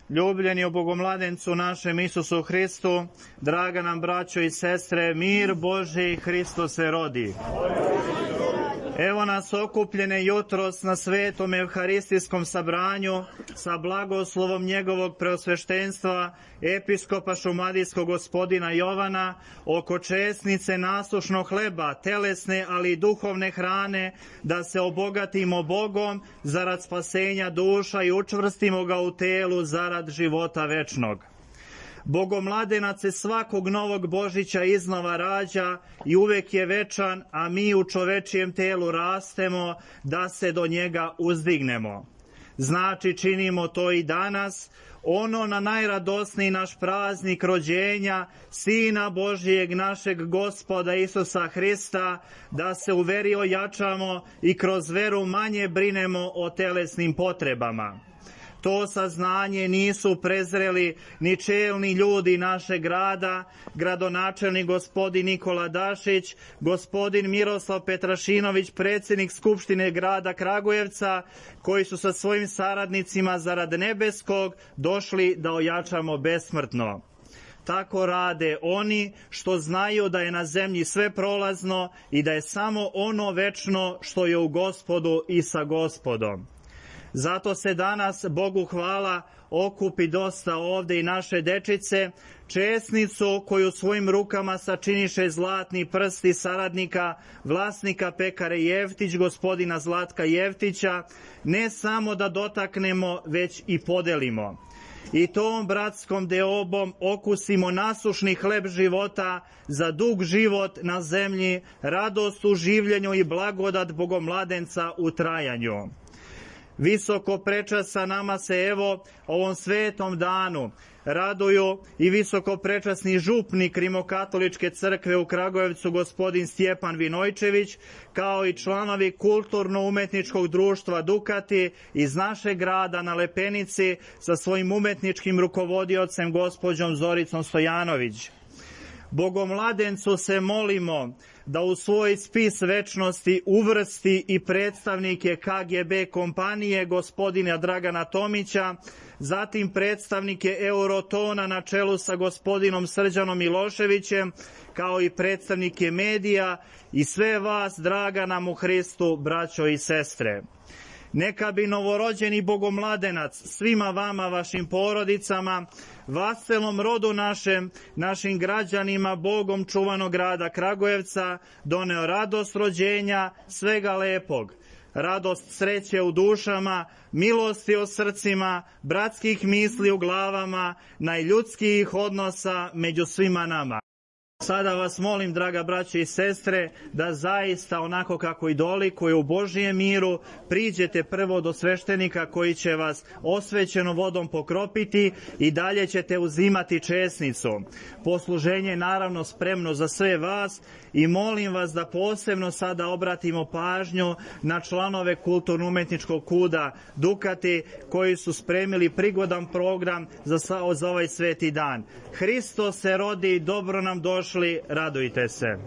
Ljubljeni u Bogomladencu našem Isusu Hristu, draga nam braćo i sestre, mir Božji Hristo se rodi. Evo nas okupljene jutros na svetom evharistijskom sabranju sa blagoslovom njegovog preosveštenstva, episkopa šumadijskog gospodina Jovana, oko česnice nasušnog hleba, telesne ali i duhovne hrane, da se obogatimo Bogom zarad spasenja duša i učvrstimo ga u telu zarad života večnog. Bogomladenac se svakog novog Božića iznova rađa i uvek je večan, a mi u čovečijem telu rastemo da se do njega uzdignemo. Znači činimo to i danas, ono na najradosniji naš praznik rođenja Sina Božijeg našeg Gospoda Isusa Hrista, da se u veri ojačamo i kroz veru manje brinemo o telesnim potrebama. To saznanje nisu prezreli ni čelni ljudi našeg grada, gradonačelnik gospodin Nikola Dašić, gospodin Miroslav Petrašinović, predsjednik Skupštine grada Kragujevca, koji su sa svojim saradnicima zarad nebeskog došli da ojačamo besmrtno. Tako rade oni što znaju da je na zemlji sve prolazno i da je samo ono večno što je u Gospodu i sa Gospodom. Zato se danas, Bogu hvala, okupi dosta ovde i naše dečice, česnicu koju svojim rukama sačiniše zlatni prsti saradnika, vlasnika pekare Jeftić, gospodina Zlatka Jeftića, ne samo da dotaknemo, već i podelimo. I tom bratskom deobom okusimo nasušni hleb života za dug život na zemlji, radost u življenju i blagodat Bogomladenca u trajanju. Visoko prečasa nama se evo ovom svetom danu raduju i visoko prečasni župnik Rimokatoličke crkve u Kragujevcu gospodin Stjepan Vinojčević, kao i članovi kulturno-umetničkog društva Dukati iz našeg grada na Lepenici sa svojim umetničkim rukovodiocem gospođom Zoricom Stojanović. Bogomladencu se molimo da u svoj spis večnosti uvrsti i predstavnike KGB kompanije gospodina Dragana Tomića, zatim predstavnike Eurotona na čelu sa gospodinom Srđanom Miloševićem, kao i predstavnike medija i sve vas, draga nam u Hristu, braćo i sestre. Neka bi novorođeni Bogomladenac svima vama, vašim porodicama, vaselom rodu našim građanima, Bogom čuvanog grada Kragujevca, doneo radost rođenja, svega lepog, radost sreće u dušama, milosti u srcima, bratskih misli u glavama, najljudskijih odnosa među svima nama. Sada vas molim, draga braće i sestre, da zaista onako kako i dolikuje u Božijem miru priđete prvo do sveštenika koji će vas osvećenom vodom pokropiti i dalje ćete uzimati česnicu. Posluženje je naravno spremno za sve vas i molim vas da posebno sada obratimo pažnju na članove kulturno-umetničkog kuda Dukati koji su spremili prigodan program za ovaj sveti dan. Hristos se rodi, dobro nam došli, radujte se.